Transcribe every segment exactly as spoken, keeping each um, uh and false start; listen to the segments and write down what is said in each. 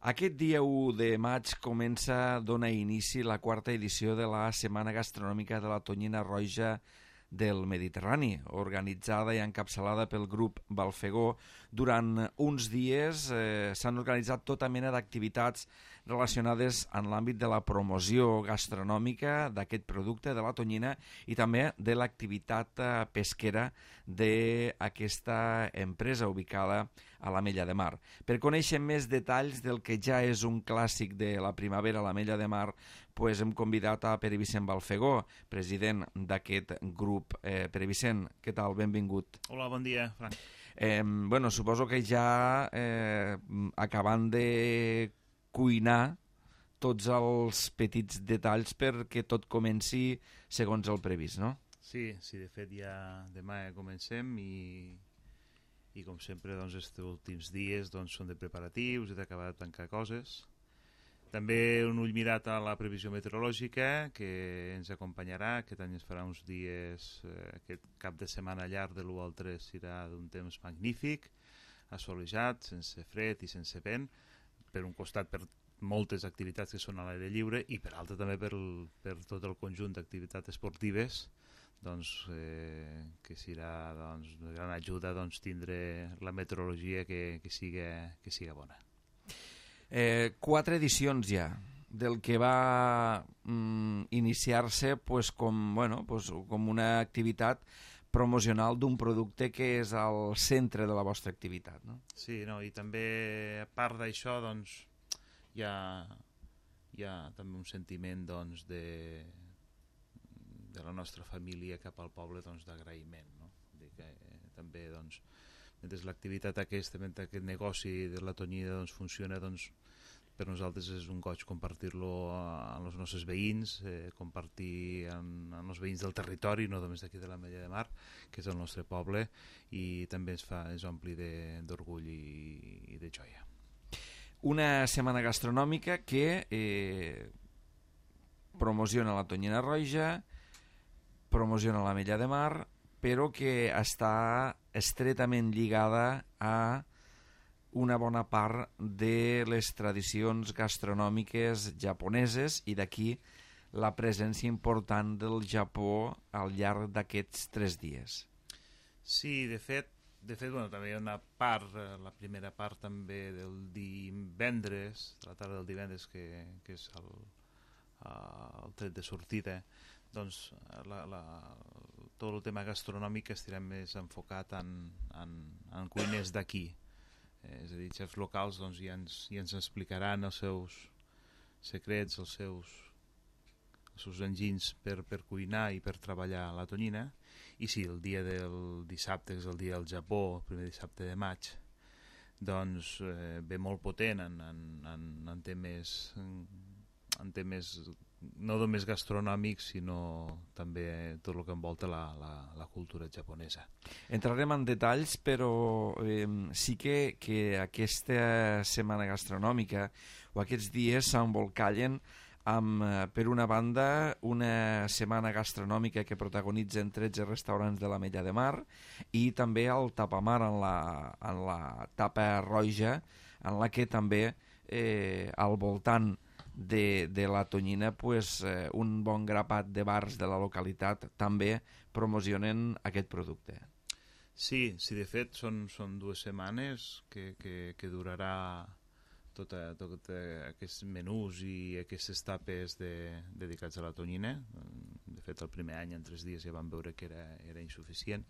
Aquest dia u de maig comença, dona inici la quarta edició de la Setmana Gastronòmica de la Tonyina Roja del Mediterrani, organitzada i encapçalada pel grup Balfegó. Durant uns dies eh, s'han organitzat tota mena d'activitats relacionades en l'àmbit de la promoció gastronòmica d'aquest producte, de la tonyina, i també de l'activitat eh, pesquera d'aquesta empresa ubicada a l'Ametlla de Mar. Per conèixer més detalls del que ja és un clàssic de la primavera a l'Ametlla de Mar, pues hem convidat a Pere Vicent Balfegó, president d'aquest grup. Eh, Pere Vicent, què tal? Benvingut. Hola, bon dia, Frank. Eh, bueno, suposo que ja eh, acabant de cuinar tots els petits detalls perquè tot comenci segons el previst, no? Sí, sí, de fet ja demà ja comencem i, i com sempre doncs, els últims dies doncs, són de preparatius i d'acabar de tancar coses. També un ull mirat a la previsió meteorològica que ens acompanyarà. Aquest any es farà uns dies, eh, aquest cap de setmana llarg de l'u al tres serà d'un temps magnífic, assolejat, sense fred i sense vent, per un costat per moltes activitats que són a l'aire lliure i per altre també per, per tot el conjunt d'activitats esportives, doncs, eh, que serà doncs, de gran ajuda doncs, tindre la meteorologia que, que, siga, que siga bona. Eh, quatre edicions ja del que va mm, iniciar-se pues, com, bueno, pues, com una activitat promocional d'un producte que és al centre de la vostra activitat, no? Sí, no, i també a part d'això doncs, hi ha, hi ha també un sentiment doncs, de, de la nostra família cap al poble doncs, d'agraïment, no? Dir que, eh, també doncs, mentre l'activitat aquesta, mentre aquest negoci de la tonyina doncs, funciona, doncs, per nosaltres és un goig compartir-lo amb els nostres veïns, eh, compartir amb, amb els veïns del territori, no només d'aquí de l'Ametlla de Mar, que és el nostre poble, i també ens fa, ens ompli d'orgull i, i de joia. Una setmana gastronòmica que eh, promociona la tonyina roja, promociona l'Ametlla de Mar, però que està estretament lligada a una bona part de les tradicions gastronòmiques japoneses i d'aquí la presència important del Japó al llarg d'aquests tres dies. Sí, de fet, de fet bueno, també hi ha una part, la primera part també del divendres, de la tarda del divendres, que, que és el, el tret de sortida, doncs la, la, tot el tema gastronòmic estarà més enfocat en, en, en cuiners d'aquí. Eh, és a dir, xefs locals doncs, ja, ens, ja ens explicaran els seus secrets, els seus, els seus enginys per, per cuinar i per treballar la tonyina. I sí, el dia del dissabte, que és el dia del Japó, el primer dissabte de maig, doncs eh, ve molt potent en, en, en, en temes en, en temes no només gastronòmics, sinó també tot el que envolta la, la, la cultura japonesa. Entrarem en detalls, però eh, sí que, que aquesta setmana gastronòmica o aquests dies s'embolcallen amb, per una banda, una setmana gastronòmica que protagonitzen tretze restaurants de l'Ametlla de Mar i també el tapamar en la, en la tapa roja, en la que també eh, al voltant De, de la tonyina pues, eh, un bon grapat de bars de la localitat també promocionen aquest producte. Sí, sí, de fet són, són dues setmanes que, que, que durarà tota, tota aquests menús i aquestes tapes de, dedicats a la tonyina. De fet el primer any en tres dies ja vam veure que era, era insuficient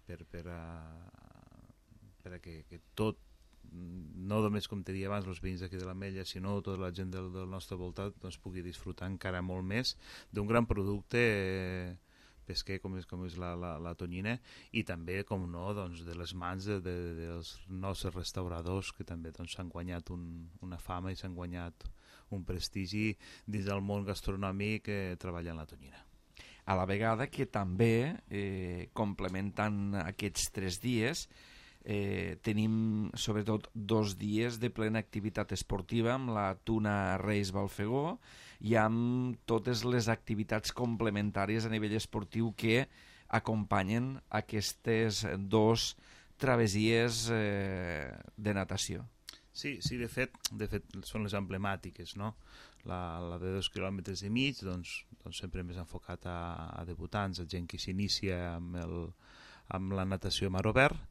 per, per, a, per a que, que tot, no només com te deia abans els veïns d'aquí de l'Ametlla, sinó tota la gent del, del nostre voltat doncs, pugui disfrutar encara molt més d'un gran producte eh, pesquer com és, com és la, la, la tonyina, i també, com no, doncs, de les mans de, de, dels nostres restauradors que també doncs, s'han guanyat un, una fama i s'han guanyat un prestigi dins del món gastronòmic eh, treballant la tonyina. A la vegada que també, eh, complementant aquests tres dies, Eh, tenim sobretot dos dies de plena activitat esportiva amb la Tuna Reis Balfegó i amb totes les activitats complementàries a nivell esportiu que acompanyen aquestes dos travessies eh, de natació. Sí, sí, de fet, de fet són les emblemàtiques, no? La, la de dos quilòmetres i mig, doncs, doncs sempre més enfocat a, a debutants, a gent que s'inicia amb, el, amb la natació a mar obert,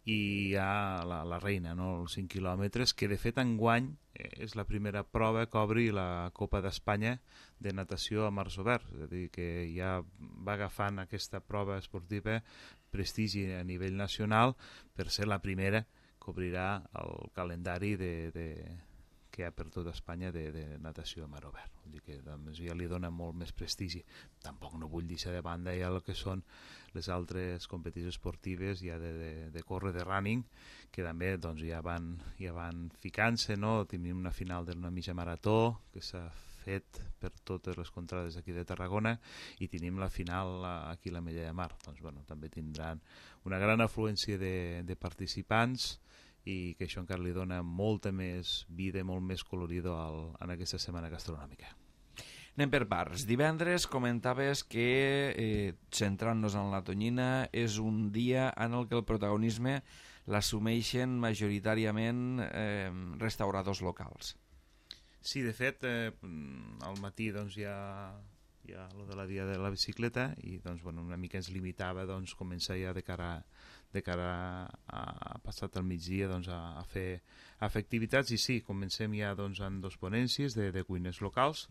i hi ha la, la reina, no? Els cinc quilòmetres, que de fet enguany eh, és la primera prova que obri la Copa d'Espanya de natació a mars obert, és a dir, que ja va agafant aquesta prova esportiva prestigi a nivell nacional per ser la primera que obrirà el calendari de, de, que hi ha per tota Espanya de, de natació a mar obert. Vull dir que doncs, ja li dona molt més prestigi. Tampoc no vull deixar de banda ja el que són les altres competicions esportives ja de, de, de córrer, de running, que també doncs, ja van, ja van ficant-se, no? Tenim una final d'una mitja marató que s'ha fet per totes les contrades aquí de Tarragona i tenim la final aquí a la Mella de Mar. Doncs, bueno, també tindran una gran afluència de, de participants i que això encara li dona molta més vida, molt més colorido al, en aquesta setmana gastronòmica. Anem per parts. Divendres comentaves que, eh, centrant-nos en la tonyina, és un dia en el que el protagonisme l'assumeixen majoritàriament eh, restauradors locals. Sí, de fet, eh, al matí doncs, hi ha, hi ha lo de la dia de la bicicleta i doncs, bueno, una mica ens limitava doncs, començar ja de cara, de cara a, a passat el migdia doncs, a, a, fer, a fer activitats i sí, comencem ja doncs, en dos ponències de, de cuines locals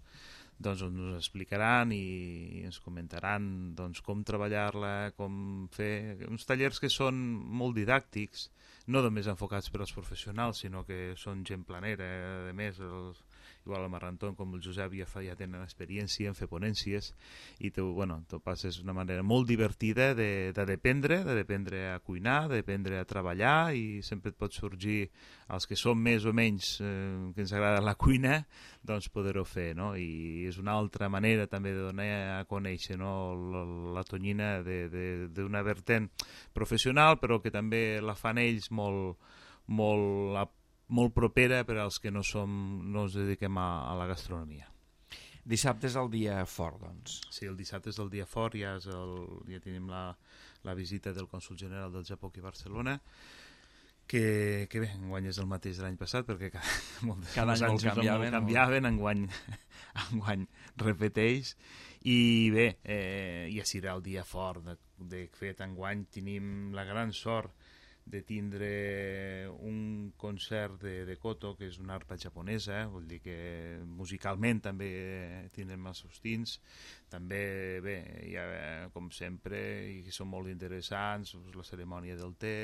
doncs ens explicaran i ens comentaran doncs, com treballar-la, com fer uns tallers que són molt didàctics, no només enfocats per als professionals, sinó que són gent planera, a més, els, igual el Marranton com el Josep ja, fa, ja tenen experiència en fer ponències i tu, bueno, tu passes una manera molt divertida de, de dependre, de dependre a cuinar, de dependre a treballar i sempre et pot sorgir els que som més o menys eh, que ens agrada la cuina, doncs poder-ho fer, no? I és una altra manera també de donar a conèixer, no? la, la tonyina d'una vertent professional però que també la fan ells molt, molt molt propera per als que no, som, no ens dediquem a, a la gastronomia. Dissabte és el dia fort, doncs. Sí, el dissabte és el dia fort, ja, és el, ja tenim la, la visita del cònsol general del Japó aquí a Barcelona, que, que bé, enguany és el mateix de l'any passat, perquè cada, molts, cada any molt canviaven, molt canviaven enguany, enguany repeteix, i bé, eh, ja serà el dia fort, de, de fet enguany tenim la gran sort de tindre un concert de, de koto, que és una arpa japonesa, eh? Vull dir que musicalment també tindrem els seus tints, també, bé, ja, com sempre, i són molt interessants, la cerimònia del te,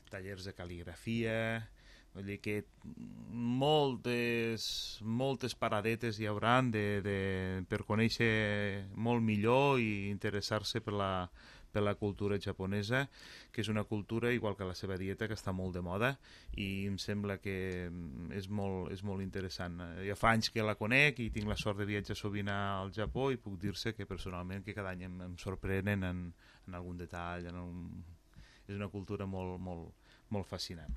tallers de cal·ligrafia, vull dir que moltes, moltes paradetes hi hauran de, de, per conèixer molt millor i interessar-se per la per la cultura japonesa, que és una cultura, igual que la seva dieta, que està molt de moda i em sembla que és molt, és molt interessant. Ja fa anys que la conec i tinc la sort de viatjar sovint al Japó i puc dir-se que personalment que cada any em, em sorprenen en, en algun detall. En un... És una cultura molt, molt, molt fascinant.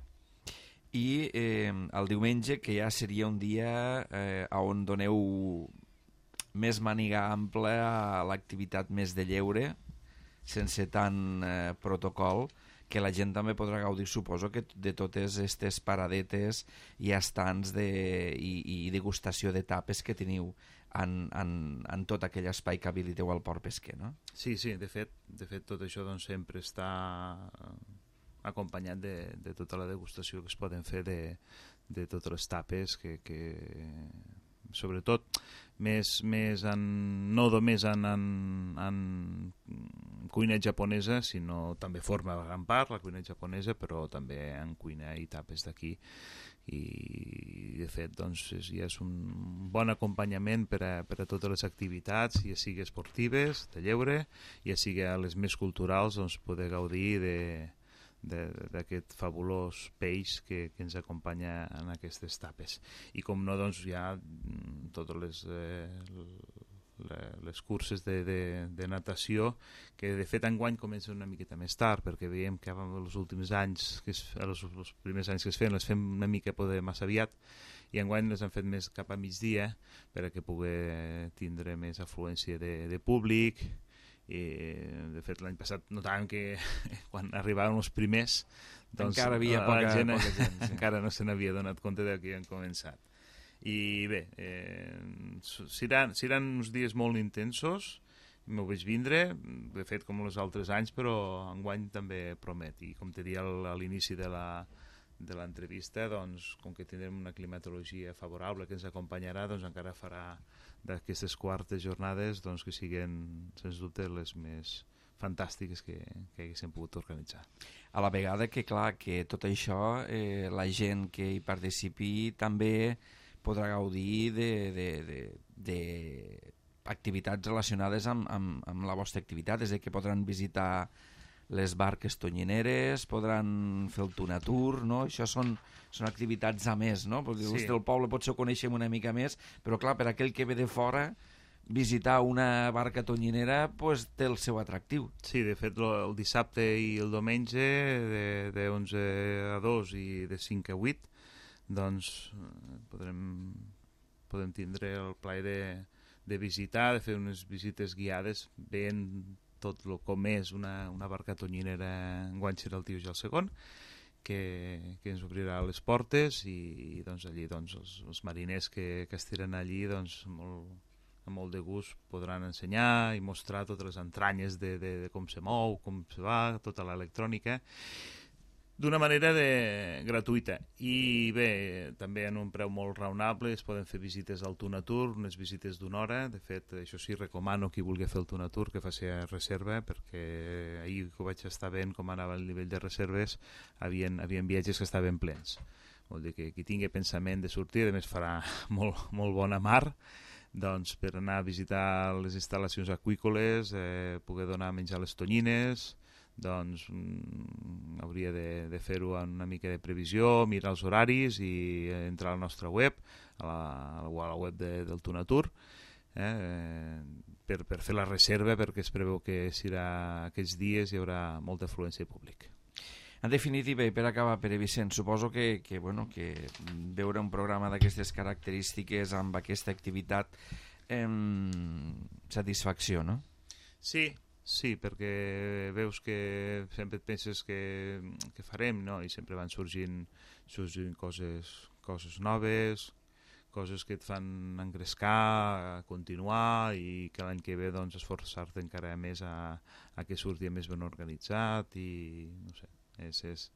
I eh, el diumenge, que ja seria un dia eh, on doneu més màniga ampla a l'activitat més de lleure, sense tant eh, protocol, que la gent també podrà gaudir, suposo, que de totes aquestes paradetes i estants de, i, i degustació de tapes que teniu en, en, en tot aquell espai que habiliteu al Port Pesquer, no? Sí, sí, de fet, de fet tot això doncs, sempre està acompanyat de, de tota la degustació que es poden fer de, de totes les tapes que... que... sobretot més, més en, no només en, en, en cuina japonesa, sinó també forma gran part la cuina japonesa, però també en cuina i tapes d'aquí i de fet doncs, és, ja és un bon acompanyament per a, per a totes les activitats, ja sigui esportives, de lleure, ja sigui a les més culturals, doncs poder gaudir de d'aquest fabulós peix que, que ens acompanya en aquestes tapes. I com no, doncs hi ha totes les, eh, les curses de, de, de natació que de fet enguany comencen una miqueta més tard perquè veiem que els últims anys que es, els, els primers anys que es feien les fem una mica poder massa aviat i enguany les han fet més cap a migdia per a que pugui tindre més afluència de, de públic i de fet l'any passat notàvem que quan arribaven els primers doncs, encara havia la, poca, la gent, poca gent sí. encara no se n'havia donat compte de que havien començat. I bé, eh, seran, seran uns dies molt intensos, m'ho veig vindre, de fet com els altres anys, però enguany també promet. I com te dia a l'inici de la de l'entrevista, doncs, com que tindrem una climatologia favorable que ens acompanyarà, doncs encara farà d'aquestes quartes jornades doncs, que siguin, sens dubte, les més fantàstiques que, que haguéssim pogut organitzar. A la vegada que, clar, que tot això, eh, la gent que hi participi també podrà gaudir de, de, de, de activitats relacionades amb, amb, amb la vostra activitat, és a dir, que podran visitar les barques tonyineres, podran fer el tunatur, no? Això són, són activitats a més, no? Perquè sí. El poble potser ho coneixem una mica més, però clar, per aquell que ve de fora, visitar una barca tonyinera pues, té el seu atractiu. Sí, de fet, el dissabte i el diumenge, de, de onze a dos i de cinc a vuit, doncs podrem, podem tindre el plaer de, de visitar, de fer unes visites guiades, veient tot el com és una, una barca tonyinera, enguany serà el Tio ja el segon, que, que ens obrirà les portes i, i doncs, allí doncs, els, els mariners que, que estiren allí doncs, molt, amb molt de gust podran ensenyar i mostrar totes les entranyes de, de, de com se mou, com se va, tota l'electrònica, d'una manera de, gratuïta. I bé, també en un preu molt raonable es poden fer visites al Tunatur, unes visites d'una hora. De fet, això sí, recomano qui vulgui fer el Tunatur que faci reserva, perquè ahir que ho vaig estar veient com anava el nivell de reserves, havien, havien viatges que estaven plens. Vol dir que qui tingui pensament de sortir, a més farà molt, molt bona mar, doncs per anar a visitar les instal·lacions aqüícoles, eh, poder donar a menjar les tonyines, doncs mm, hauria de, de fer-ho amb una mica de previsió, mirar els horaris i entrar a la nostra web, a la, a la web de, del Tunatur, eh, per, per fer la reserva, perquè es preveu que serà aquests dies hi haurà molta afluència de públic. En definitiva, i per acabar, Pere Vicent, suposo que, que, bueno, que veure un programa d'aquestes característiques amb aquesta activitat eh, satisfacció, no? Sí, sí, perquè veus que sempre et penses que, que farem, no? I sempre van sorgint, sorgint coses, coses noves, coses que et fan engrescar, a continuar, i que l'any que ve doncs, esforçar-te encara més a, a que surti més ben organitzat i no sé. És, és,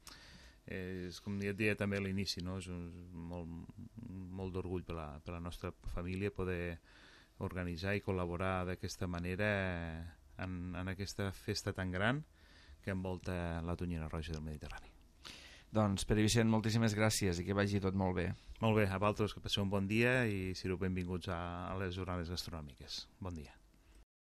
és com ja et deia també a l'inici, no? És un, molt, molt d'orgull per, la, per la nostra família poder organitzar i col·laborar d'aquesta manera en, en aquesta festa tan gran que envolta la tonyina roja del Mediterrani. Doncs, Pere Vicent, moltíssimes gràcies i que vagi tot molt bé. Molt bé, a vosaltres que passeu un bon dia i sereu benvinguts a, a les jornades gastronòmiques. Bon dia.